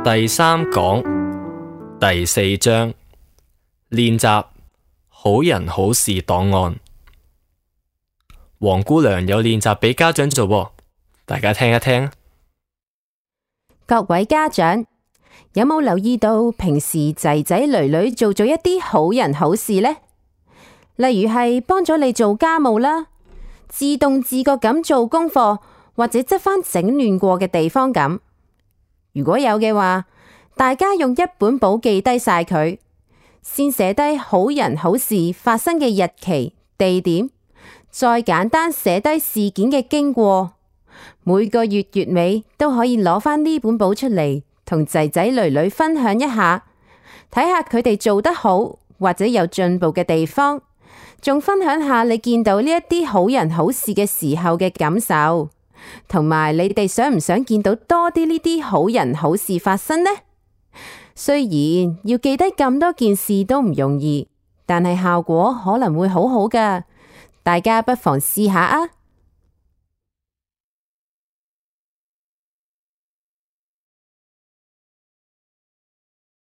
第三講第四章練習好人好事檔案。黃姑娘有練習俾家長做喎，大家聽一聽。各位家長，有冇留意到平時仔仔女女做咗一啲好人好事呢？例如係幫咗你做家務啦，自動自覺咁做功課，或者執返整亂過嘅地方咁。如果有嘅話，大家用一本簿記低晒佢，先寫低好人好事發生嘅日期、地點，再簡單寫低事件嘅經過。每個月月尾都可以攞返呢本簿出嚟，同仔仔女女分享一下，睇下佢哋做得好或者有進步嘅地方，仲分享下你見到呢一啲好人好事嘅時候嘅感受，同埋你哋想唔想見到多啲呢啲好人好事發生呢？雖然要記低咁多件事都唔容易，但係效果可能會好好㗎，大家不妨試下啊！